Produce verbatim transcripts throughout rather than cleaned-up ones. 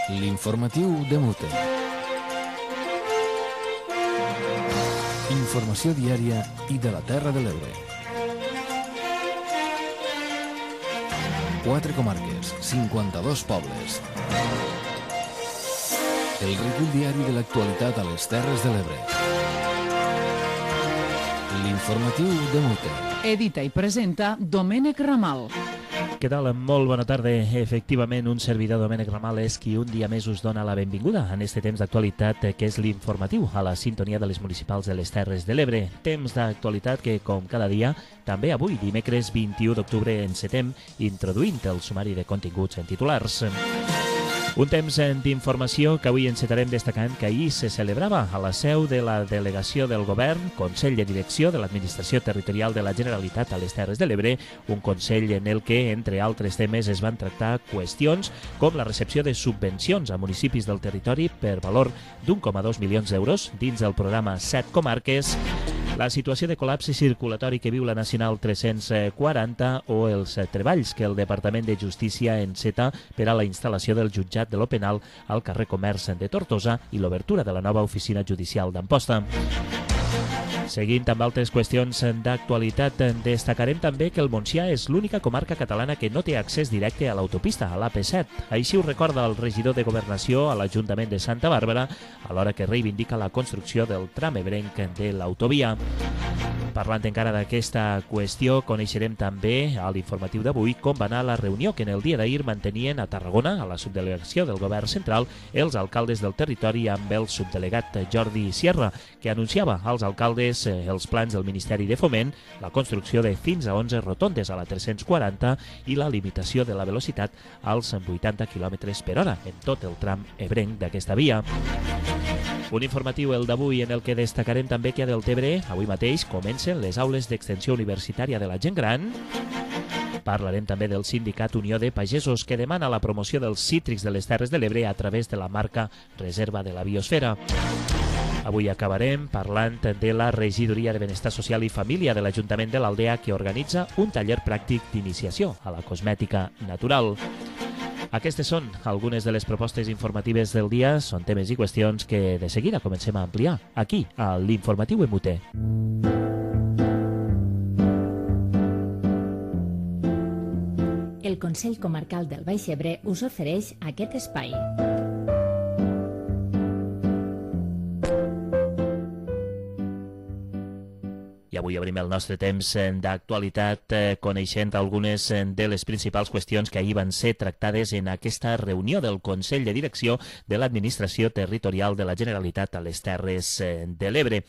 L'informatiu de Mute. Informació diària i de la Terra de l'Ebre. Quatre comarques, cinquanta-dos pobles. El recull diari de l'actualitat a les Terres de l'Ebre. L'informatiu de Mute. Edita i presenta Domènec Ramal. Què tal? Molt bona tarda. Efectivament, un servidor, Domènec Ramal, és qui un dia més us dona la benvinguda en este temps d'actualitat que és l'informatiu a la sintonia de les municipals de les Terres de l'Ebre. Temps d'actualitat que, com cada dia, també avui, dimecres vint-i-u d'octubre, encetem introduint el sumari de continguts en titulars. Un temps d'informació que avui encetarem destacant que ahir se celebrava a la seu de la delegació del govern, Consell de Direcció de l'Administració Territorial de la Generalitat a les Terres de l'Ebre, un consell en el que, entre altres temes, es van tractar qüestions com la recepció de subvencions a municipis del territori per valor d'un coma dos milions d'euros dins del programa Set Comarques, la situació de col·lapse circulatori que viu la Nacional tres-cents quaranta o els treballs que el Departament de Justícia enceta per a la instal·lació del jutjat de lo penal al carrer Comerç de Tortosa i l'obertura de la nova oficina judicial d'Amposta. Seguint amb altres qüestions d'actualitat, destacarem també que el Montsià és l'única comarca catalana que no té accés directe a l'autopista, a l'A P set. Així ho recorda el regidor de Governació a l'Ajuntament de Santa Bàrbara, alhora que reivindica la construcció del tram ebrenc de l'autovia. Parlant encara d'aquesta qüestió, coneixerem també a l'informatiu d'avui com va anar la reunió que en el dia d'ahir mantenien a Tarragona, a la subdelegació del Govern Central, els alcaldes del territori amb el subdelegat Jordi Sierra, que anunciava als alcaldes els plans del Ministeri de Foment, la construcció de fins a onze rotondes a la tres-cents quaranta i la limitació de la velocitat als vuitanta quilòmetres per hora en tot el tram ebrenc d'aquesta via. Un informatiu, el d'avui, en el que destacarem també que a Deltebre, avui mateix, comencen les aules d'extensió universitària de la gent gran. Parlarem també del sindicat Unió de Pagesos, que demana la promoció dels cítrics de les Terres de l'Ebre a través de la marca Reserva de la Biosfera. Avui acabarem parlant de la Regidoria de Benestar Social i Família de l'Ajuntament de l'Aldea, que organitza un taller pràctic d'iniciació a la cosmètica natural. Aquestes són algunes de les propostes informatives del dia, són temes i qüestions que de seguida comencem a ampliar aquí, a l'Informatiu M U T. El Consell Comarcal del Baix Ebre us ofereix aquest espai. I avui obrim el nostre temps d'actualitat coneixent algunes de les principals qüestions que ahir van ser tractades en aquesta reunió del Consell de Direcció de l'Administració Territorial de la Generalitat a les Terres de l'Ebre.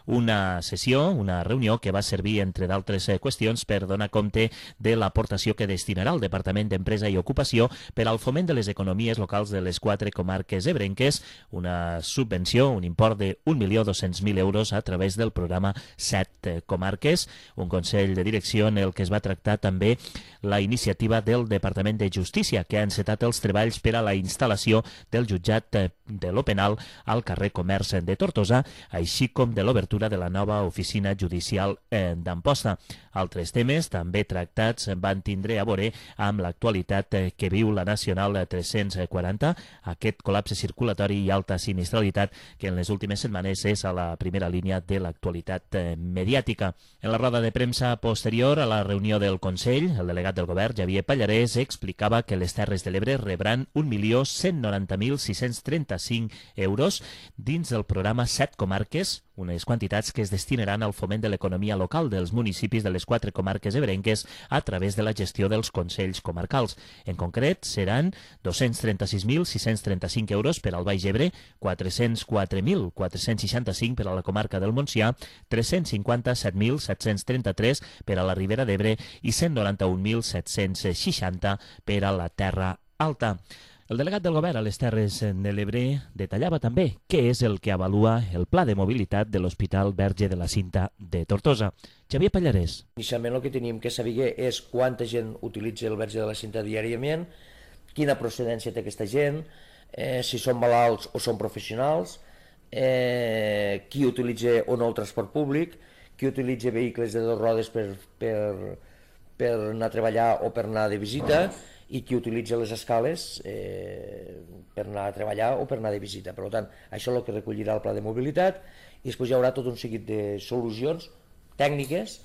Una sessió, una reunió que va servir, entre d'altres qüestions, per donar compte de l'aportació que destinarà el Departament d'Empresa i Ocupació per al foment de les economies locals de les quatre comarques ebrenques, una subvenció, un import de un milió dos-cents mil euros a través del programa Set Comarques, un consell de direcció en el que es va tractar també la iniciativa del Departament de Justícia, que ha encetat els treballs per a la instal·lació del jutjat de lo penal al carrer Comerç de Tortosa, així com de l'obertura de la nova oficina judicial d'Amposta. Altres temes també tractats van tindre a veure amb l'actualitat que viu la Nacional tres-cents quaranta, aquest col·lapse circulatori i alta sinistralitat que en les últimes setmanes és a la primera línia de l'actualitat mediàtica. En la roda de premsa posterior a la reunió del Consell, el delegat del govern, Javier Pallarès, explicava que les Terres de l'Ebre rebran un milió cent noranta mil sis-cents trenta-cinc euros dins del programa Set Comarques, unes quantitats que es destinaran al foment de l'economia local dels municipis de les quatre comarques ebrenques a través de la gestió dels consells comarcals. En concret, seran dos-cents trenta-sis mil sis-cents trenta-cinc euros per al Baix Ebre, quatre-cents quatre mil quatre-cents seixanta-cinc per a la comarca del Montsià, tres-cents cinquanta-set mil set-cents trenta-tres per a la Ribera d'Ebre i cent noranta-un mil set-cents seixanta per a la Terra Alta. El delegat del govern a les Terres de l'Ebre detallava també què és el que avalua el pla de mobilitat de l'Hospital Verge de la Cinta de Tortosa. Javier Pallarès. Inicialment el que teníem que saber és quanta gent utilitza el Verge de la Cinta diàriament, quina procedència té aquesta gent, eh, si són malalts o són professionals, eh, qui utilitza o no el transport públic, qui utilitza vehicles de dues rodes per, per, per anar a treballar o per anar de visita, i qui utilitza les escales, eh, per anar a treballar o per anar de visita. Per tant, això és el que recollirà el pla de mobilitat, i després hi haurà tot un seguit de solucions tècniques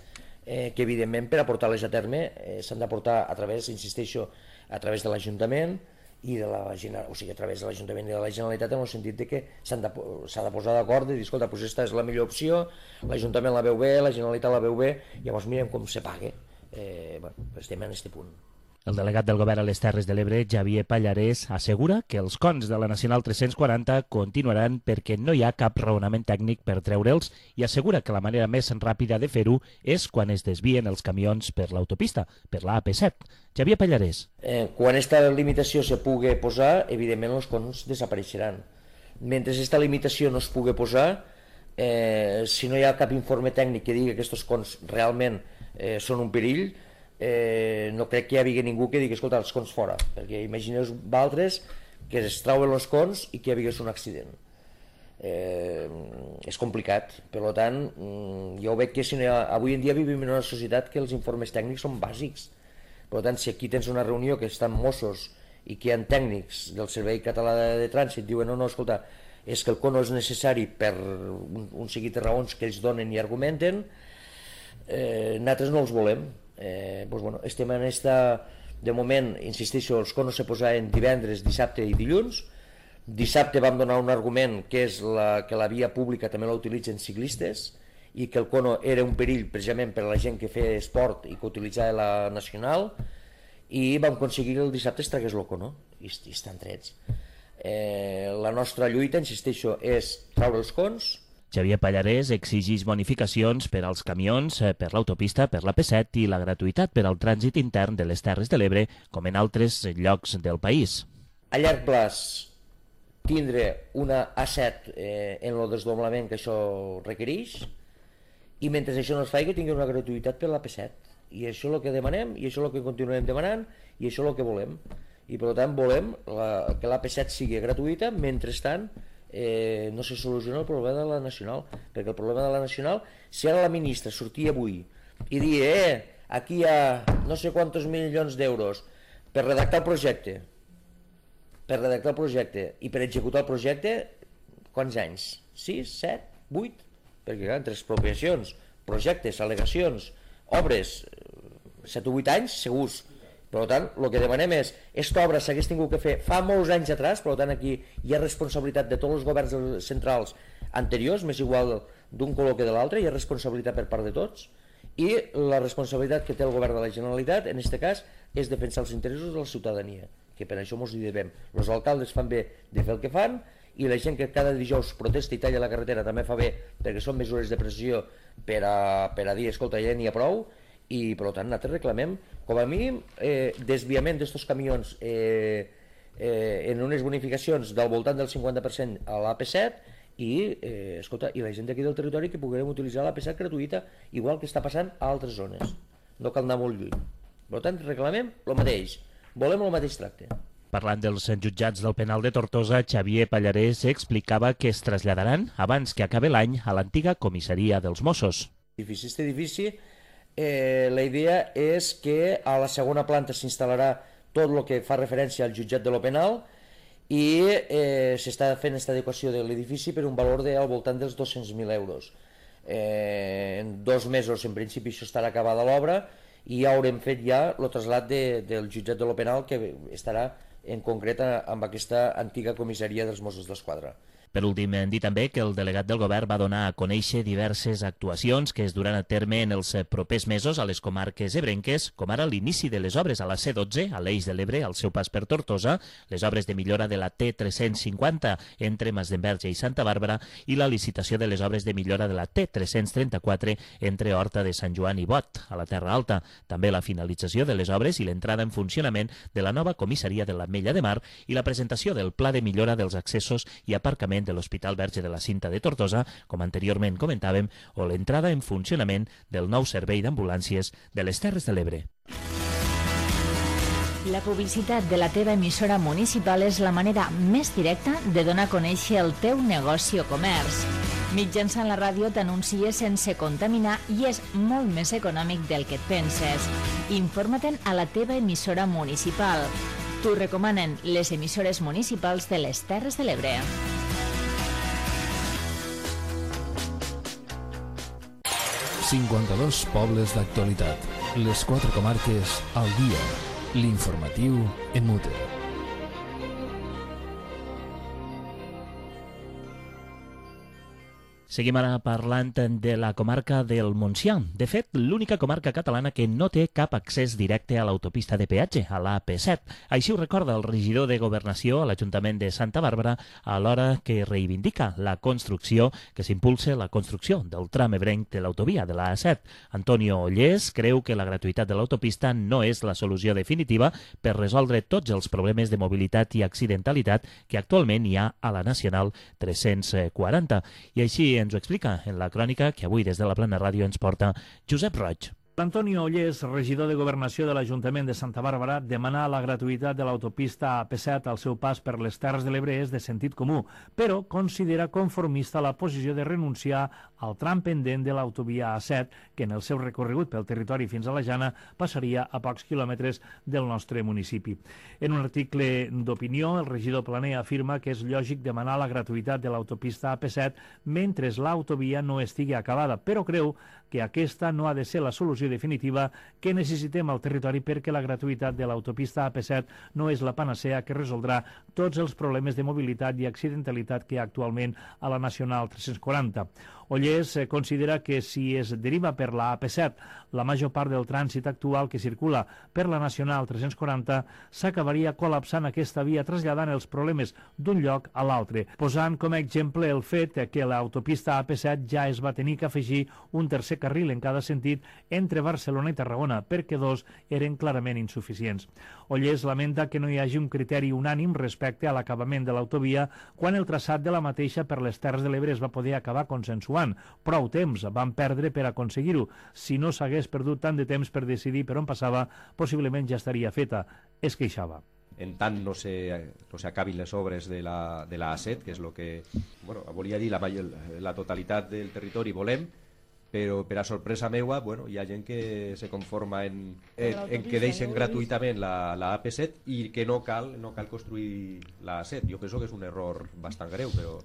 eh, que, evidentment, per aportar-les a terme eh, s'han d'aportar a través, insisteixo, a través de l'Ajuntament i de la, o sigui, a través de l'Ajuntament i de la Generalitat, en el sentit de que s'ha de, de posar d'acord i dir, escolta, doncs aquesta és la millor opció, l'Ajuntament la veu bé, la Generalitat la veu bé, llavors mirem com se paga. Eh, bueno, estem en aquest punt. El delegat del Govern a les Terres de l'Ebre, Xavier Pallarès, assegura que els cons de la Nacional tres-cents quaranta continuaran perquè no hi ha cap raonament tècnic per treure'ls, i assegura que la manera més ràpida de fer-ho és quan es desvien els camions per l'autopista, per la A P set. Xavier Pallarès. Eh, quan aquesta limitació se pugui posar, evidentment els cons desapareixeran. Mentre aquesta limitació no es pugui posar, eh, si no hi ha cap informe tècnic que digui que aquests cons realment eh, són un perill, Eh, no crec que hi hagi ningú que digui, escolta, els cons fora, perquè imagineu d'altres que es trauen els cons i que hi hagués un accident. Eh, és complicat, per tant, jo veig que si no ha, avui en dia vivim en una societat que els informes tècnics són bàsics. Per tant, si aquí tens una reunió que estan Mossos i que hi ha tècnics del Servei Català de Trànsit, diuen, no, no, escolta, és que el con no és necessari per un, un seguit de raons que ells donen i argumenten, eh, nosaltres no els volem. Eh, doncs, bueno, estem en esta, de moment, insisteixo, els conos se posaven divendres, dissabte i dilluns. Dissabte vam donar un argument que és la, que la via pública també la utilitzen ciclistes i que el cono era un perill precisament per a la gent que feia esport i que utilitzava la nacional, i vam aconseguir que el dissabte es tragués el cono i, i estan trets. Eh, la nostra lluita, insisteixo, és traure els cons. Xavier Pallarès exigeix bonificacions per als camions, per l'autopista, per la P set i la gratuïtat per al trànsit intern de les Terres de l'Ebre, com en altres llocs del país. A llarg plaç, tindre una A set eh, en el desdoblament que això requereix, i mentre això no es faci, que tingui una gratuïtat per la P set. I això és el que demanem, i això és el que continuem demanant, i això és el que volem. I per tant volem la, que la P set sigui gratuïta, mentrestant Eh, no se soluciona el problema de la Nacional, perquè el problema de la Nacional, si ara la ministra sortia avui i dir, eh, aquí hi ha no sé quantos milions d'euros per redactar el projecte, per redactar el projecte i per executar el projecte, quants anys? sis, set, vuit? Perquè clar, entre expropiacions, projectes, al·legacions, obres, set o vuit anys segurs. Per tant, el que demanem és, aquesta obra s'hagués tingut que fer fa molts anys atrás, per tant aquí hi ha responsabilitat de tots els governs centrals anteriors, més igual d'un color que de l'altre, hi ha responsabilitat per part de tots, i la responsabilitat que té el govern de la Generalitat, en aquest cas, és defensar els interessos de la ciutadania, que per això ens hi devem. Els alcaldes fan bé de fer el que fan, i la gent que cada dijous protesta i talla la carretera també fa bé, perquè són mesures de pressió per a, per a dir, escolta, ja n'hi ha prou, i per tant nosaltres reclamem com a mínim eh, desviament d'estos camions eh, eh, en unes bonificacions del voltant del cinquanta per cent a l'A P set i, eh, escolta, i la gent d'aquí del territori que puguem utilitzar l'A P set gratuïta, igual que està passant a altres zones, no cal anar molt lluny. Per tant reclamem el mateix, volem el mateix tracte. Parlant dels jutjats del penal de Tortosa, Xavier Pallarès explicava que es traslladaran abans que acabi l'any a l'antiga comissaria dels Mossos. Edifici, este edifici Eh, la idea és que a la segona planta s'instal·larà tot el que fa referència al jutjat de lo penal i eh, s'està fent aquesta adequació de l'edifici per un valor de, al voltant dels dos-cents mil euros. Eh, en dos mesos, en principi, això estarà acabada l'obra i ja haurem fet ja el trasllat de, del jutjat de lo penal, que estarà en concret amb aquesta antiga comissaria dels Mossos d'Esquadra. Per últim, hem dit també que el delegat del govern va donar a conèixer diverses actuacions que es duran a terme en els propers mesos a les comarques ebrenques, com ara l'inici de les obres a la C dotze, a l'Eix de l'Ebre, al seu pas per Tortosa, les obres de millora de la T tres-cents cinquanta entre Masdenverge i Santa Bàrbara i la licitació de les obres de millora de la T tres-cents trenta-quatre entre Horta de Sant Joan i Bot, a la Terra Alta. També la finalització de les obres i l'entrada en funcionament de la nova comissaria de l'Ametlla de Mar i la presentació del pla de millora dels accessos i aparcament de l'Hospital Verge de la Cinta de Tortosa, com anteriorment comentàvem, o l'entrada en funcionament del nou servei d'ambulàncies de les Terres de l'Ebre. La publicitat de la teva emissora municipal és la manera més directa de donar a conèixer el teu negoci o comerç. Mitjançant la ràdio t'anuncies sense contaminar i és molt més econòmic del que et penses. Informa-te'n a la teva emissora municipal. T'ho recomanen les emissores municipals de les Terres de l'Ebre. cinquanta-dos pobles d'actualitat. Les quatre comarques al dia. L'informatiu en Mute. Seguim ara parlant de la comarca del Montsià. De fet, l'única comarca catalana que no té cap accés directe a l'autopista de peatge, a l'A P set. Així ho recorda el regidor de Governació a l'Ajuntament de Santa Bàrbara a l'hora que reivindica la construcció, que s'impulse la construcció del tram ebrenc de l'autovia de l'A set. Antonio Ollés creu que la gratuïtat de l'autopista no és la solució definitiva per resoldre tots els problemes de mobilitat i accidentalitat que actualment hi ha a la Nacional tres-cents quaranta. I així ens ho explica en la crònica que avui des de la Plana Ràdio ens porta Josep Roig. Antonio Ollés, regidor de Governació de l'Ajuntament de Santa Bàrbara, demanar la gratuïtat de l'autopista A P set al seu pas per les Terres de l'Ebre és de sentit comú, però considera conformista la posició de renunciar al tram pendent de l'autovia A set, que en el seu recorregut pel territori fins a la Jana passaria a pocs quilòmetres del nostre municipi. En un article d'opinió, el regidor Planer afirma que és lògic demanar la gratuïtat de l'autopista A P set mentre l'autovia no estigui acabada, però creu que aquesta no ha de ser la solució definitiva que necessitem al territori perquè la gratuïtat de l'autopista A P set no és la panacea que resoldrà tots els problemes de mobilitat i accidentalitat que hi ha actualment a la Nacional tres-cents quaranta. Ollés considera que si es deriva per la A P set la major part del trànsit actual que circula per la Nacional tres-cents quaranta s'acabaria col·lapsant aquesta via traslladant els problemes d'un lloc a l'altre, posant com a exemple el fet que l'autopista A P set ja es va tenir que afegir un tercer carril en cada sentit entre Barcelona i Tarragona, perquè dos eren clarament insuficients. Ollés lamenta que no hi hagi un criteri unànim respecte a l'acabament de l'autovia quan el traçat de la mateixa per les Terres de l'Ebre es va poder acabar consensuant. Prou temps van perdre per aconseguir-ho. Si no s'hagués perdut tant de temps per decidir per on passava, possiblement ja estaria feta. Es queixava. En tant no se, no s'acabin les obres de la, de la A set, que és el que bueno, volia dir la, la totalitat del territori volem, però per a sorpresa meua bueno, hi ha gent que se conforma en, en, en que deixen gratuïtament la, la A P set i que no cal, no cal construir la A set. Jo penso que és un error bastant greu, però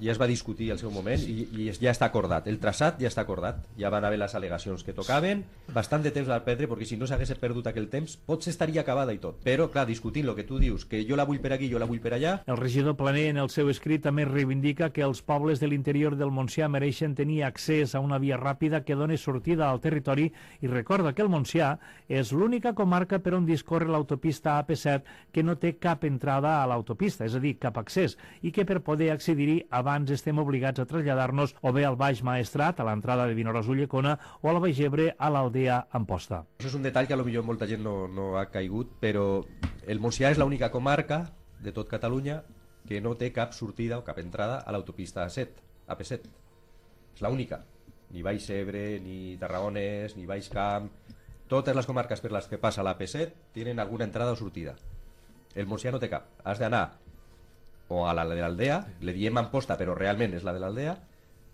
ja es va discutir al seu moment i, i ja està acordat, el traçat ja està acordat, ja van haver les al·legacions que tocaven, bastant de temps va perdre perquè si no s'hagués perdut aquell temps potser estaria acabada i tot, però clar, discutint el que tu dius, que jo la vull per aquí, jo la vull per allà. El regidor Planer en el seu escrit també reivindica que els pobles de l'interior del Montsià mereixen tenir accés a una via ràpida que doni sortida al territori i recorda que el Montsià és l'única comarca per on discorre l'autopista A P set que no té cap entrada a l'autopista, és a dir, cap accés, i que per poder accedir-hi abans estem obligats a traslladar-nos o bé al Baix Maestrat, a l'entrada de Vinaròs-Ulldecona, o a la Vallgebre, a l'Aldea Amposta. Això és un detall que potser molta gent no, no ha caigut, però el Montsià és l'única comarca de tot Catalunya que no té cap sortida o cap entrada a l'autopista A set, A P set. És l'única. Ni Baix Ebre, ni Tarragones, ni Baix Camp... Totes les comarques per les que passa l'A P set tenen alguna entrada o sortida. El Montsià no té cap. Has d'anar o a la de l'Aldea, le diem Amposta però realment és la de l'Aldea,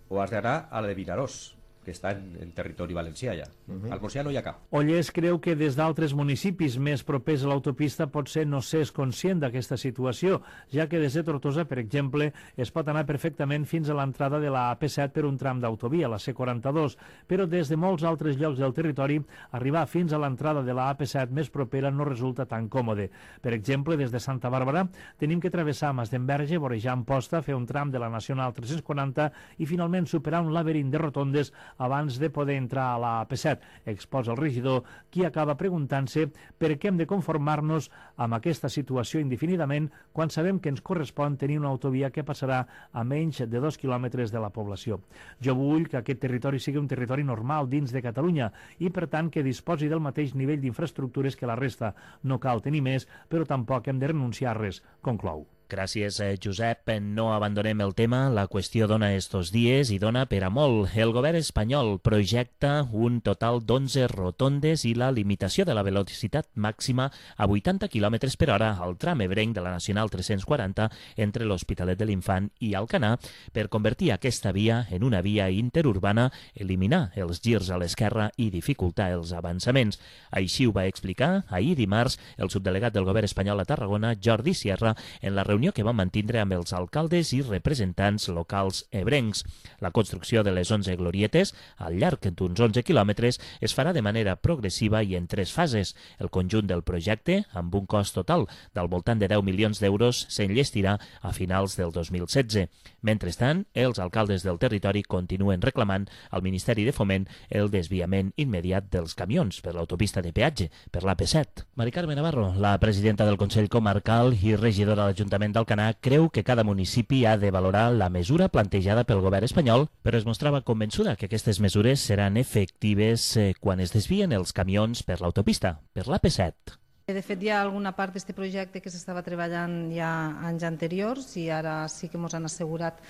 o has d'anar a la de Vinaròs, que està en, en territori valencià ja. Uh-huh. Al Montsià no hi ha cap. Ollés creu que des d'altres municipis més propers a l'autopista potser no s'és conscient d'aquesta situació, ja que des de Tortosa, per exemple, es pot anar perfectament fins a l'entrada de la A P set per un tram d'autovia, la C quaranta-dos, però des de molts altres llocs del territori, arribar fins a l'entrada de la A P set més propera no resulta tan còmode. Per exemple, des de Santa Bàrbara tenim que travessar Masdenverge, vorejar Amposta, fer un tram de la Nacional tres-cents quaranta i finalment superar un laberint de rotondes abans de poder entrar a la A P set, exposa el regidor, qui acaba preguntant-se per què hem de conformar-nos amb aquesta situació indefinidament quan sabem que ens correspon tenir una autovia que passarà a menys de dos quilòmetres de la població. Jo vull que aquest territori sigui un territori normal dins de Catalunya i, per tant, que disposi del mateix nivell d'infraestructures que la resta. No cal tenir més, però tampoc hem de renunciar a res, conclou. Gràcies, Josep. No abandonem el tema. La qüestió dona estos dies i dona per a molt. El govern espanyol projecta un total d'onze rotondes i la limitació de la velocitat màxima a vuitanta quilòmetres per hora al tram ebrenc de la Nacional tres-cents quaranta entre l'Hospitalet de l'Infant i Alcanar per convertir aquesta via en una via interurbana, eliminar els girs a l'esquerra i dificultar els avançaments. Així ho va explicar ahir dimarts el subdelegat del govern espanyol a Tarragona, Jordi Sierra, en la reunió que va mantindre amb els alcaldes i representants locals ebrencs. La construcció de les onze glorietes, al llarg d'uns onze quilòmetres, es farà de manera progressiva i en tres fases. El conjunt del projecte, amb un cost total del voltant de deu milions d'euros, s'enllestirà a finals del dos mil setze. Mentrestant, els alcaldes del territori continuen reclamant al Ministeri de Foment el desviament immediat dels camions per l'autopista de peatge, per l'A P set. Mari Carme Navarro, la presidenta del Consell Comarcal i regidora de l'Ajuntament d'Alcanar, creu que cada municipi ha de valorar la mesura plantejada pel govern espanyol, però es mostrava convençuda que aquestes mesures seran efectives eh, quan es desvien els camions per l'autopista, per l'A P set. De fet, hi ha alguna part d'aquest projecte que s'estava treballant ja anys anteriors i ara sí que ens han assegurat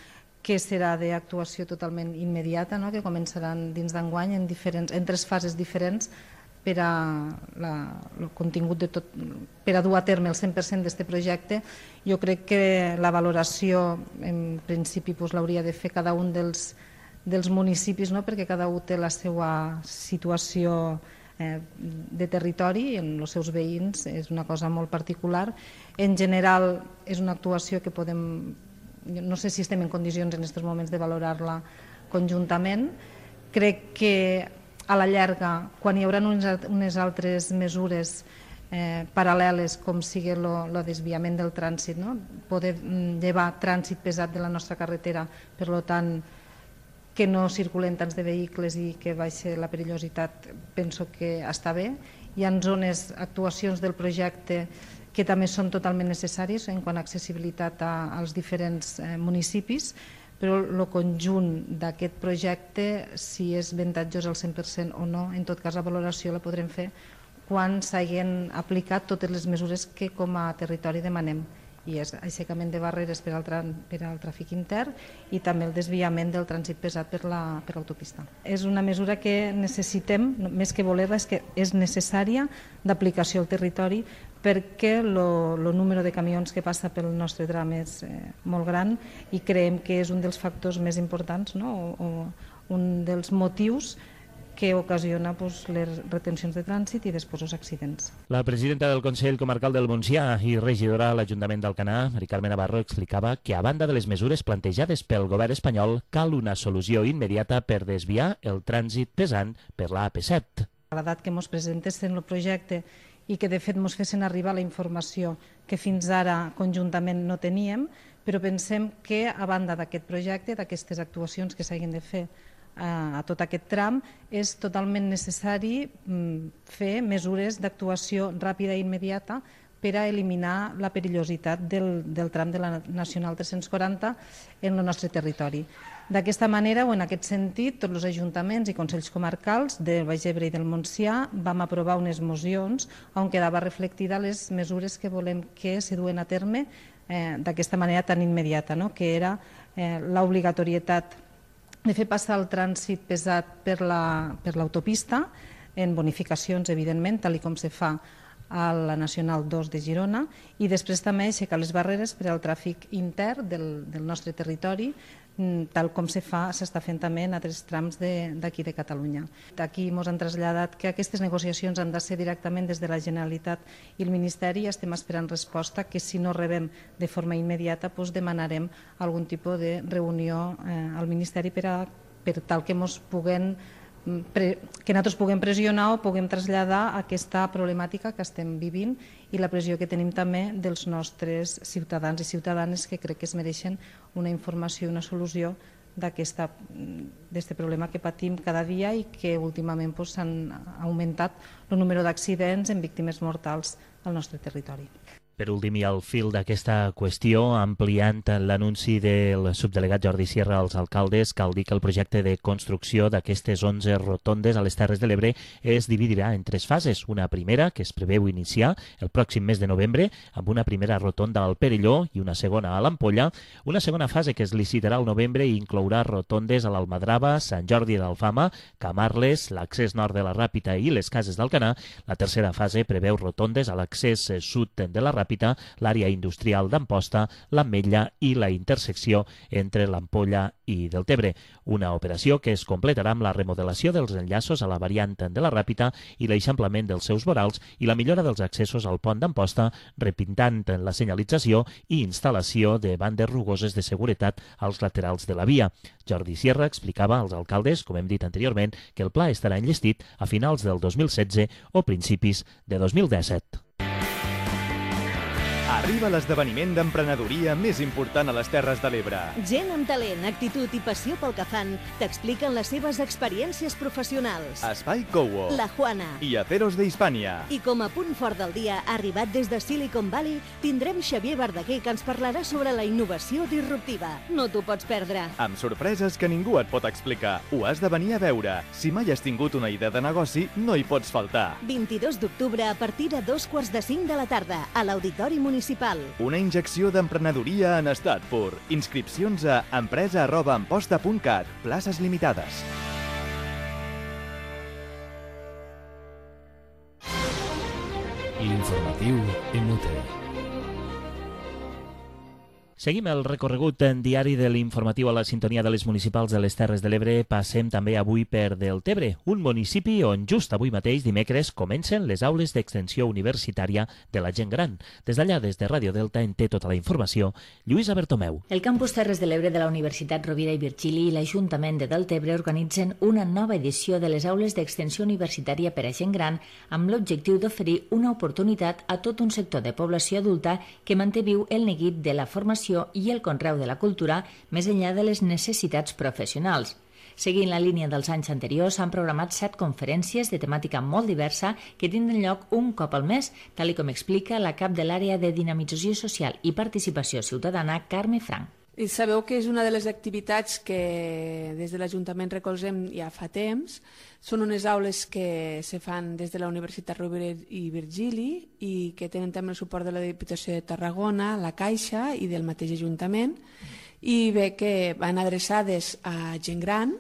que serà d'actuació totalment immediata, no? Que començaran dins d'enguany en, diferents, en tres fases diferents per a la, el contingut de tot, per a dur a terme el cent per cent d'aquest projecte. Jo crec que la valoració en principi pues, l'hauria de fer cada un dels, dels municipis, no? Perquè cada un té la seva situació eh, de territori i en els seus veïns és una cosa molt particular. En general és una actuació que podem, no sé si estem en condicions en aquests moments de valorar-la conjuntament. Crec que a la llarga, quan hi haurà unes altres mesures eh, paral·leles, com sigui el desviament del trànsit, no? Poder llevar trànsit pesat de la nostra carretera, per tant, que no circulen tants de vehicles i que baixi la perillositat, penso que està bé. Hi ha zones, actuacions del projecte que també són totalment necessàries en quant a accessibilitat a, als diferents eh, municipis, però el conjunt d'aquest projecte, si és avantatjós al cent per cent o no, en tot cas la valoració la podrem fer quan s'hagin aplicat totes les mesures que com a territori demanem, i és aixecament de barreres per al, per al tràfic intern i també el desviament del trànsit pesat per l'autopista. És una mesura que necessitem, més que voler-la, és que és necessària d'aplicació al territori perquè el número de camions que passa pel nostre tram és eh, molt gran i creiem que és un dels factors més importants, no? o, o un dels motius que ocasiona pues, les retencions de trànsit i després els accidents. La presidenta del Consell Comarcal del Montsià i regidora a l'Ajuntament d'Alcanar, Mari Carme Navarro, explicava que a banda de les mesures plantejades pel govern espanyol cal una solució immediata per desviar el trànsit pesant per l'A P set. Agradat que ens presentessin el projecte i que de fet ens fessin arribar la informació que fins ara conjuntament no teníem, però pensem que a banda d'aquest projecte, d'aquestes actuacions que s'hagin de fer a tot aquest tram, és totalment necessari fer mesures d'actuació ràpida i immediata per a eliminar la perillositat del, del tram de la Nacional tres-cents quaranta en el nostre territori. D'aquesta manera, o en aquest sentit, tots els ajuntaments i consells comarcals del Baix Ebre i del Montsià vam aprovar unes mocions on quedava reflectida les mesures que volem que se duen a terme eh, d'aquesta manera tan immediata, no? Que era eh, l'obligatorietat de fer passar el trànsit pesat per l'autopista, en bonificacions, evidentment, tal com se fa a la Nacional dos de Girona, i després també aixecar les barreres per al tràfic intern del, del nostre territori, tal com se fa, s'està fent també en altres trams d'aquí de, de Catalunya. Aquí ens han traslladat que aquestes negociacions han de ser directament des de la Generalitat i el Ministeri, i estem esperant resposta, que si no rebem de forma immediata doncs demanarem algun tipus de reunió eh, al Ministeri per, a, per tal que ens puguem que nosaltres puguem pressionar o puguem traslladar aquesta problemàtica que estem vivint i la pressió que tenim també dels nostres ciutadans i ciutadanes, que crec que es mereixen una informació i una solució d'aquest problema que patim cada dia i que últimament s'han augmentat el número d'accidents en víctimes mortals al nostre territori. Per últim, i al fil d'aquesta qüestió, ampliant l'anunci del subdelegat Jordi Sierra als alcaldes, cal dir que el projecte de construcció d'aquestes onze rotondes a les Terres de l'Ebre es dividirà en tres fases. Una primera, que es preveu iniciar el pròxim mes de novembre, amb una primera rotonda al Perelló i una segona a l'Ampolla. Una segona fase que es licitarà al novembre i inclourà rotondes a l'Almadrava, Sant Jordi d'Alfama, Camarles, l'accés nord de la Ràpita i les Cases d'Alcanar. La tercera fase preveu rotondes a l'accés sud de la Ràpita, l'àrea industrial d'Amposta, l'Ametlla i la intersecció entre l'Ampolla i Deltebre. Una operació que es completarà amb la remodelació dels enllaços a la variant de la Ràpita i l'eixamplament dels seus vorals i la millora dels accessos al pont d'Amposta, repintant la senyalització i instal·lació de bandes rugoses de seguretat als laterals de la via. Jordi Sierra explicava als alcaldes, com hem dit anteriorment, que el pla estarà enllestit a finals del dos mil setze o principis de dos mil disset. Arriba l'esdeveniment d'emprenedoria més important a les Terres de l'Ebre. Gent amb talent, actitud i passió pel que fan t'expliquen les seves experiències professionals. Espai Cowo, La Juana i Aceros de Hispània. I com a punt fort del dia, arribat des de Silicon Valley, tindrem Xavier Verdaguer, que ens parlarà sobre la innovació disruptiva. No t'ho pots perdre. Amb sorpreses que ningú et pot explicar. Ho has de venir a veure. Si mai has tingut una idea de negoci, no hi pots faltar. vint-i-dos d'octubre a partir de dos quarts de cinc de la tarda, a l'Auditori Municipal. Una injecció d'emprenedoria en estat pur. Inscripcions a empresa arroba amposta punt cat. Places limitades. L'informatiu M U T. Seguim el recorregut en diari de l'informatiu a la sintonia de les municipals de les Terres de l'Ebre. Passem també avui per Deltebre, un municipi on just avui mateix, dimecres, comencen les aules d'extensió universitària de la gent gran. Des d'allà, des de Ràdio Delta, en té tota la informació Lluïsa Bertomeu. El campus Terres de l'Ebre de la Universitat Rovira i Virgili i l'Ajuntament de Deltebre organitzen una nova edició de les aules d'extensió universitària per a gent gran amb l'objectiu d'oferir una oportunitat a tot un sector de població adulta que manté viu el neguit de la formació i el conreu de la cultura més enllà de les necessitats professionals. Seguint la línia dels anys anteriors, s'han programat set conferències de temàtica molt diversa que tindran lloc un cop al mes, tal com explica la cap de l'àrea de dinamització social i participació ciutadana, Carme Frank. I sabeu que és una de les activitats que des de l'Ajuntament recolzem ja fa temps. Són unes aules que se fan des de la Universitat Rovira i Virgili i que tenen també el suport de la Diputació de Tarragona, la Caixa i del mateix Ajuntament. I bé, que van adreçades a gent gran,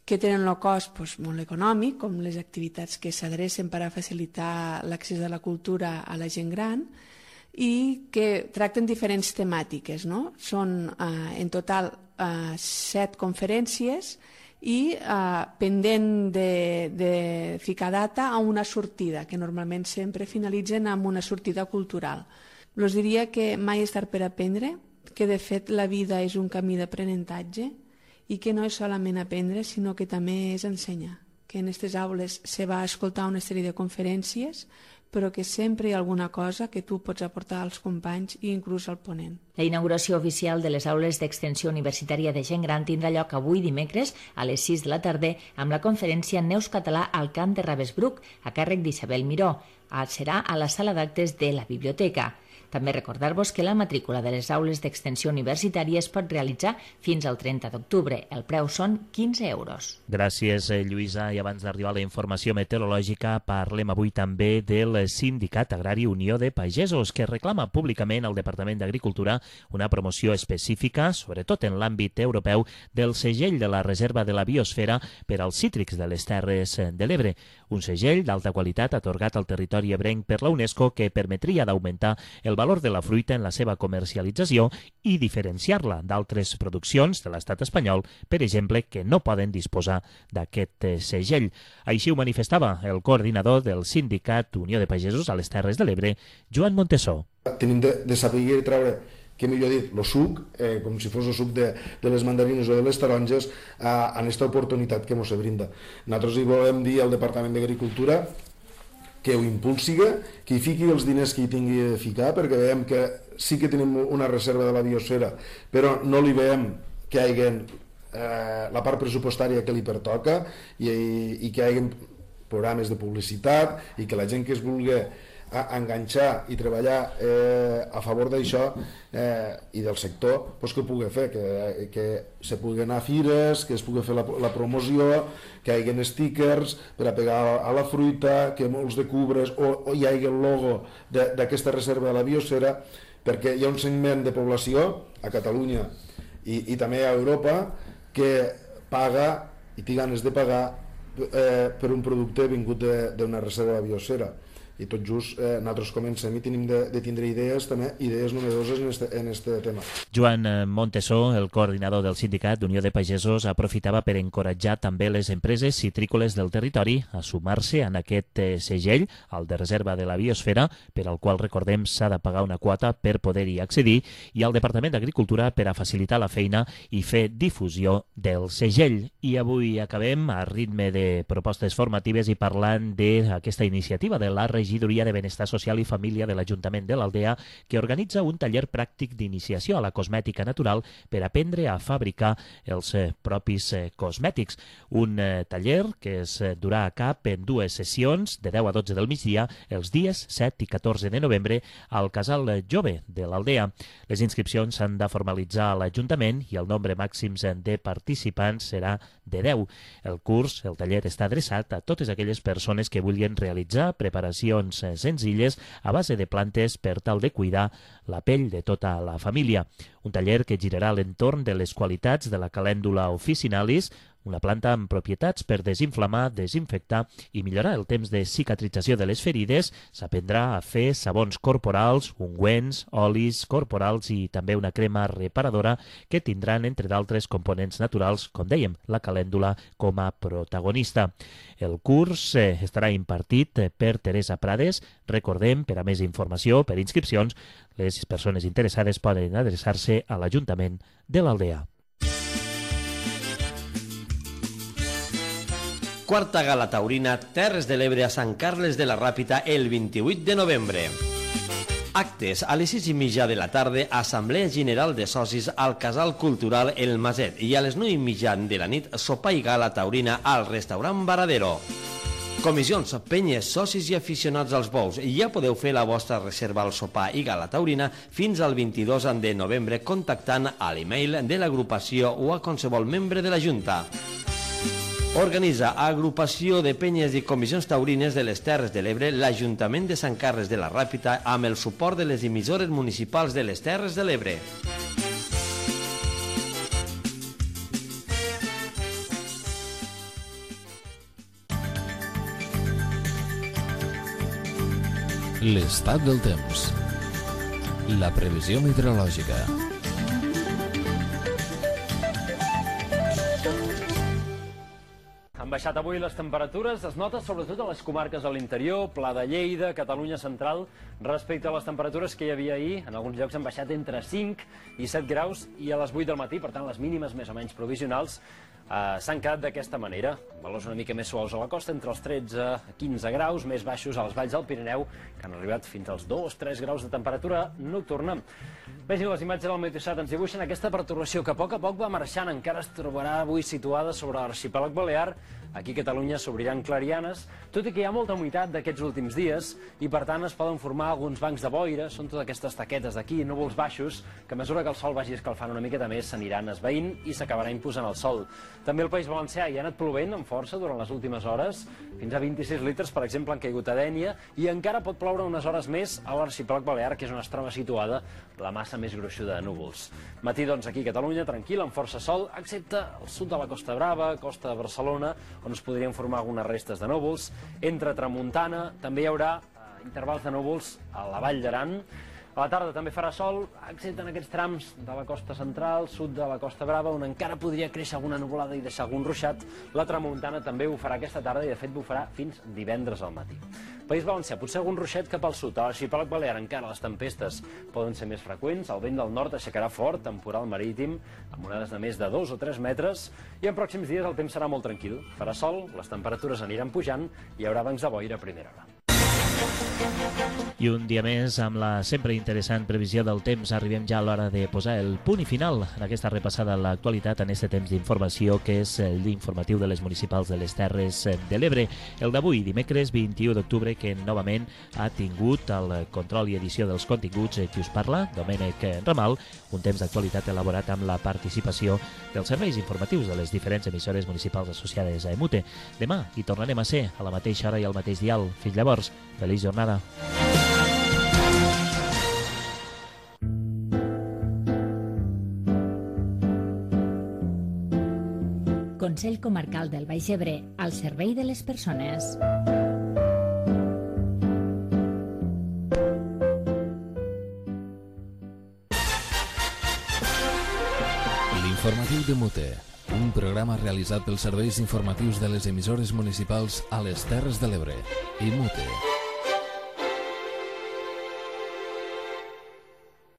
que tenen el cost doncs, molt econòmic, com les activitats que s'adrecen per a facilitar l'accés a la cultura a la gent gran, i que tracten diferents temàtiques, no? Són eh, en total eh, set conferències i eh, pendent de, de ficar data a una sortida, que normalment sempre finalitzen amb una sortida cultural. Us diria que mai és tard per aprendre, que de fet la vida és un camí d'aprenentatge i que no és solament aprendre, sinó que també és ensenyar. Que en aquestes aules se va escoltar una sèrie de conferències, però que sempre hi ha alguna cosa que tu pots aportar als companys i inclús al ponent. La inauguració oficial de les aules d'extensió universitària de gent gran tindrà lloc avui dimecres a les sis de la tarda amb la conferència Neus Català al Camp de Ravensbrück a càrrec d'Isabel Miró. Serà a la sala d'actes de la biblioteca. També recordar-vos que la matrícula de les aules d'extensió universitària es pot realitzar fins al trenta d'octubre. El preu són quinze euros. Gràcies, Lluïsa. I abans d'arribar a la informació meteorològica, parlem avui també del Sindicat Agrari Unió de Pagesos, que reclama públicament al Departament d'Agricultura una promoció específica, sobretot en l'àmbit europeu, del segell de la Reserva de la Biosfera per als cítrics de les Terres de l'Ebre. Un segell d'alta qualitat atorgat al territori ebrenc per la UNESCO que permetria d'augmentar el valor de la fruita en la seva comercialització i diferenciar-la d'altres produccions de l'estat espanyol, per exemple, que no poden disposar d'aquest segell. Així ho manifestava el coordinador del Sindicat Unió de Pagesos a les Terres de l'Ebre, Joan Montesó. Tenim de, de saber treure, que millor dit, el suc, eh, com si fos el suc de, de les mandarines o de les taronges, eh, en aquesta oportunitat que ens brinda. Nosaltres hi volem dir al Departament d'Agricultura que ho impulsiga, que hi fiqui els diners que hi tingui de ficar, perquè veiem que sí que tenim una reserva de la biosfera, però no li veiem que hi hagi eh, la part pressupostària que li pertoca i, i que hi hagi programes de publicitat i que la gent que es vulgui a enganxar i treballar eh, a favor d'això eh, i del sector, doncs que ho pugui fer, que, que se pugui anar a fires, que es pugui fer la, la promoció, que hi hagi stickers per a pegar a la fruita, que molts de cubres o, o hi hagi el logo d'aquesta reserva de la biosfera, perquè hi ha un segment de població a Catalunya i, i també a Europa que paga i té ganes de pagar eh, per un producte vingut d'una reserva de la biosfera. I tot just eh, nosaltres comencem i tenim de, de tindre idees, també idees novedoses en este, en este tema. Joan Montesó, el coordinador del sindicat d'Unió de Pagesos, aprofitava per encoratjar també les empreses citrícoles del territori a sumar-se en aquest eh, segell, el de reserva de la biosfera, per al qual, recordem, s'ha de pagar una quota per poder-hi accedir, i al Departament d'Agricultura per a facilitar la feina i fer difusió del segell. I avui acabem a ritme de propostes formatives i parlant d'aquesta iniciativa de la regió Regidoria de Benestar Social i Família de l'Ajuntament de l'Aldea, que organitza un taller pràctic d'iniciació a la cosmètica natural per aprendre a fabricar els eh, propis eh, cosmètics. Un eh, taller que es eh, durà a cap en dues sessions, de deu a dotze del migdia, els dies set i catorze de novembre, al Casal Jove de l'Aldea. Les inscripcions s'han de formalitzar a l'Ajuntament i el nombre màxim de participants serà de deu. El curs, el taller, està adreçat a totes aquelles persones que vulguin realitzar preparacions senzilles a base de plantes per tal de cuidar la pell de tota la família. Un taller que girarà a l'entorn de les qualitats de la calèndula officinalis, una planta amb propietats per desinflamar, desinfectar i millorar el temps de cicatrització de les ferides. S'aprendrà a fer sabons corporals, ungüents, olis corporals i també una crema reparadora que tindran, entre d'altres components naturals, com dèiem, la calèndula com a protagonista. El curs eh, estarà impartit per Teresa Prades. Recordem, per a més informació, per inscripcions, les persones interessades poden adreçar-se a l'Ajuntament de l'Aldea. Quarta Gala Taurina Terres de l'Ebre a Sant Carles de la Ràpita el vint-i-vuit de novembre. Actes a les sis i mitja de la tarda, Assemblea General de Socis al Casal Cultural El Maset, i a les nou i mitja de la nit, sopar i gala taurina al restaurant Varadero. Comissions, penyes, socis i aficionats als bous, ja podeu fer la vostra reserva al sopar i gala taurina fins al vint-i-dos de novembre contactant a l'email de l'agrupació o a qualsevol membre de la Junta. Organitza Agrupació de Penyes i Comissions Taurines de les Terres de l'Ebre l'Ajuntament de Sant Carles de la Ràpita amb el suport de les emissores municipals de les Terres de l'Ebre. L'estat del temps. La previsió meteorològica. Han baixat avui les temperatures, es nota sobretot a les comarques de l'interior, Pla de Lleida, Catalunya Central, respecte a les temperatures que hi havia ahir. En alguns llocs han baixat entre cinc i set graus i a les vuit del matí, per tant les mínimes més o menys provisionals eh, s'han quedat d'aquesta manera. Valors una mica més suaus a la costa, entre els tretze a quinze graus, més baixos a les valls del Pirineu, que han arribat fins als dos a tres graus de temperatura nocturna. Vegin les imatges del Meteosat, ens dibuixen aquesta pertorbació que a poc a poc va marxant, encara es trobarà avui situada sobre l'arxipèlag balear. Aquí a Catalunya s'obriran clarianes, tot i que hi ha molta humitat d'aquests últims dies i per tant es poden formar alguns bancs de boira, són totes aquestes taquetes d'aquí, núvols baixos, que a mesura que el sol vagi escalfant una miqueta més s'aniran esvaint i s'acabarà imposant el sol. També el País Valencià hi ha anat plovent amb força durant les últimes hores, fins a vint-i-sis litres, per exemple, han caigut a Dénia, i encara pot ploure unes hores més a l'arxipèlag balear, que és on es troba situada la massa més gruixuda de núvols. Matí, doncs, aquí a Catalunya, tranquil, amb força sol, excepte al sud de la Costa Brava, costa de Barcelona, on es podrien formar algunes restes de núvols. Entre tramuntana també hi haurà eh, intervals de núvols a la Vall d'Aran. A la tarda també farà sol, excepte en aquests trams de la costa central, sud de la Costa Brava, on encara podria créixer alguna nuvolada i deixar algun ruixat. La tramuntana també ho farà aquesta tarda i de fet ho farà fins divendres al matí. País Valencià, potser algun ruixat cap al sud. A l'arxipèlag balear encara les tempestes poden ser més freqüents, el vent del nord aixecarà fort, temporal marítim, amb onades de més de dos o tres metres, i en pròxims dies el temps serà molt tranquil. Farà sol, les temperatures aniran pujant i hi haurà bancs de boira a primera hora. I un dia més, amb la sempre interessant previsió del temps, arribem ja a l'hora de posar el punt i final en aquesta repassada a l'actualitat en aquest temps d'informació que és l'informatiu de les municipals de les Terres de l'Ebre. El d'avui, dimecres vint-i-u d'octubre, que novament ha tingut el control i edició dels continguts qui us parla, Domènec Ramal, un temps d'actualitat elaborat amb la participació dels serveis informatius de les diferents emissores municipals associades a EMUTE. Demà hi tornarem a ser a la mateixa hora i al mateix dial. Fins llavors, feliç jornada. Consell Comarcal del Baix Ebre, al servei de les persones. L'informatiu de Mute, un programa realitzat pels serveis informatius de les emissores municipals a les Terres de l'Ebre. I Mute.